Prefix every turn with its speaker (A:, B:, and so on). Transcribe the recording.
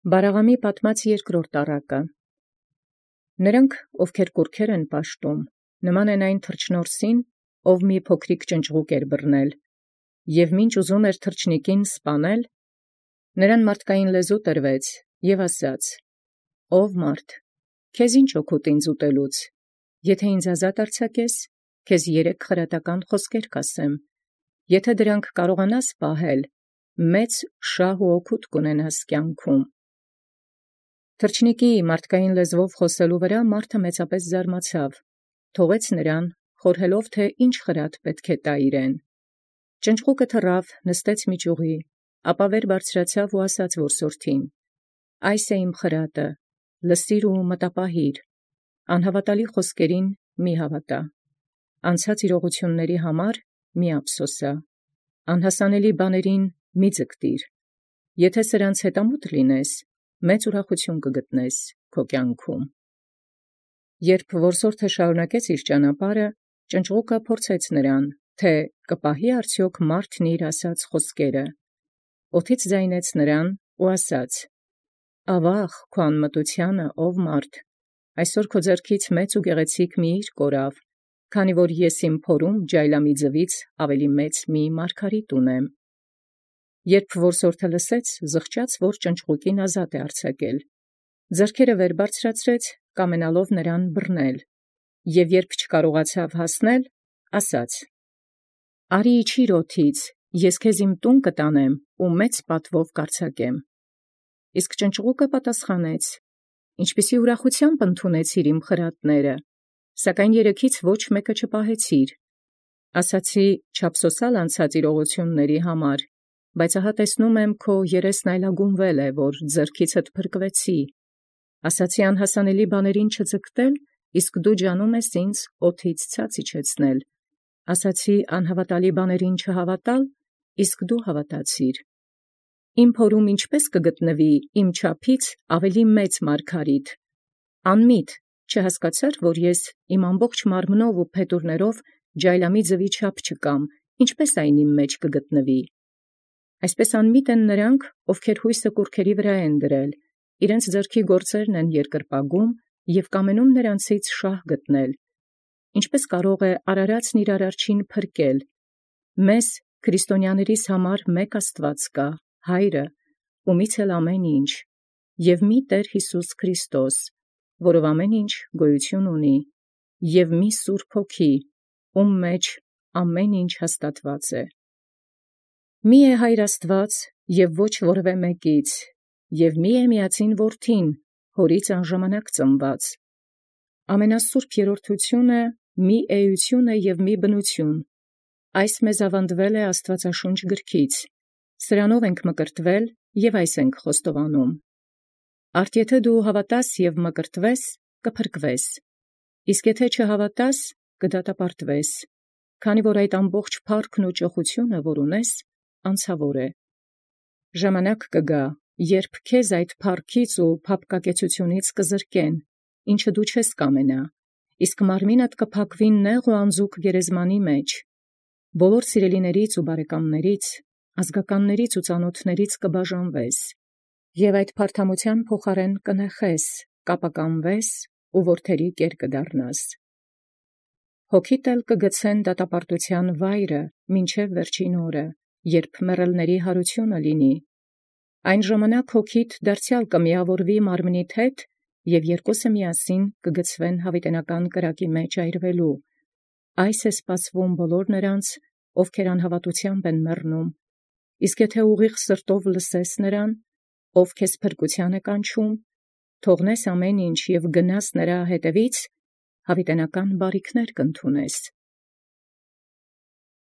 A: Բարաղամի պատմած երկրորդ առակը։ Նրանք, ովքեր կուռքեր են պաշտում, նման են այն թրջնորսին, ով մի փոքրիկ ճնճղուկ բռնել, և մինչ ուզում թրջնիկին սպանել, նրան մարդկային լեզու տրվեց և ասաց. «Ով մարդ, քեզ ինչ օգուտ ինձ ուտելուց, եթե ինձ ազատ արձակես, քեզ 3 խրատական խոսքեր կասեմ, եթե դրանք կարողանաս պահել, մեծ շահ ու օգուտ կունենաս կյանքում»։ Թրջնիկի մարդկային լեզվով խոսելու վրա մարդը մեծապես զարմացավ, թողեց նրան, խորհելով թե ինչ խրատ պետք է տա իրեն։ Ճնճղուկը թռավ, նստեց մի ճյուղի, ապա վեր բարձրացավ ու ասաց որսորդին. «Այս է իմ խրատը, լսիր ու մտապահիր, անհավատալի խոսքերին մի հավատա, անցած իրողությունների համար մի ափսոսա, անհասանելի բաներին մի ձգտիր, եթե սրանց հետամուտ լինես, մեծ ուրախություն կգտնես քո կյանքում»։ Երբ որսորդը շարունակեց իր ճանապարհը, ճնճղուկը փորձեց նրան, թե կպահի արդյոք մարդն իր ասած խոսքերը, օդից ձայնեց նրան ու ասաց. «Ավաղ քո անմտությանը, ով մարդ, այսօր քո ձեռքից մեծ ու գեղեցիկ մի իր կորավ, քանի որ ես իմ փորում ջայլամի ձվից ավելի մեծ մի մարգարիտ ունեմ»։ Երբ որսորդը լսեց, զղջաց, որ ճնճղուկին ազատ է արձակել, ձեռքերը վեր բարձրացրեց, կամենալով նրան բռնել, և երբ չկարողացավ հասնել, ասաց. «Արի իջիր օդից, ես քեզ իմ տուն կտանեմ ու մեծ պատվով կարձակեմ»։ Իսկ ճնճղուկը պատասխանեց. «Ինչպիսի ուրախությամբ ընդունեցիր իմ խրատները, սակայն 3-ից ոչ մեկը չպահեցիր։ Ասացի չափսոսալ անցած իրողությունների համար, բայց ահա տեսնում եմ քո երեսն այլագունվել է, որ ձեռքիցդ փրկվեցի. ասացի անհասանելի բաներին չձգտել, իսկ դու ջանում ես ինձ օդից ցած իջեցնել. ասացի անհավատալի բաներին չհավատալ, իսկ դու հավատացիր։ Իմ փորում ինչպե՞ս կգտնվի իմ չափից ավելի մեծ մարգարիտ. անմիտ չհասկացար, որ ես իմ ամբողջ մարմնով ու փետուրներով ջայլամի ձվի չափ չկամ, ինչպե՞ս այն իմ մեջ կգտնվի։ Այսպես անմիտ են նրանք, ովքեր հույսը կուռքերի վրա են դրել, իրենց ձեռքի գործերն են երկրպագում և կամենում նրանցից շահ գտնել։ Ինչպե՞ս կարող է արարածն իր արարչին փրկել։ Մեզ քրիստոնյաներիս համար մեկ Աստված կա, Հայրը, ումից էլ ամեն ինչ, և մի Տեր Յիսուս Քրիստոս, որով ամեն ինչ գոյություն ունի, և մի Սուրբ Հոգի, ում մեջ ամեն ինչ հաստատված է։ Մի է Հայր Աստված և ոչ որևէ մեկից, և մի է միածին Որդին, Հորից անժամանակ ծնված։ Ամենասուրբ երրորդությունը մի էություն է և մի բնություն։ Այս մեզ ավանդվել է Աստվածաշունչ գրքից, սրանով ենք մկրտվել և այս ենք խոստովանում։ Արդ եթե դու հավատաս և մկրտվես, կփրկվես, իսկ եթե չհավատաս, կդատապարտվես, քանի որ այդ ամբողջ փառքն ու ճոխությունը, որ ունես, անցավոր է։ Ժամանակ կգա, երբ քեզ այդ փառքից ու փափկակեցությունից կզրկեն, ինչը դու չես կամենա, իսկ մարմինդ կփակվի նեղ ու անձուկ գերեզմանի մեջ, բոլոր սիրելիներից ու բարեկամներից, ազգականներից ու ծանոթներից կբաժանվես, և այդ փարթամության փոխարեն կնեխես, կապականվես ու որդերի կեր կդառնաս։ Հոգիդ էլ կգցեն դատապարտության վայրը մինչև վերջին օրը, երբ մեռելների հարությունը լինի։ Այն ժամանակ հոգիդ դարձյալ կմիավորվի մարմնիդ հետ, և երկուսը միասին կգցվեն հավիտենական կրակի մեջ այրվելու։ Այս է սպասվում բոլոր նրանց, ովքեր անհավատությամբ են մեռնում։ Իսկ եթե ուղիղ սրտով լսես նրան, ով քեզ փրկության է կանչում, թողնես ամեն ինչ և գնաս նրա հետևից, հավիտենական բարիքներ կընդունես։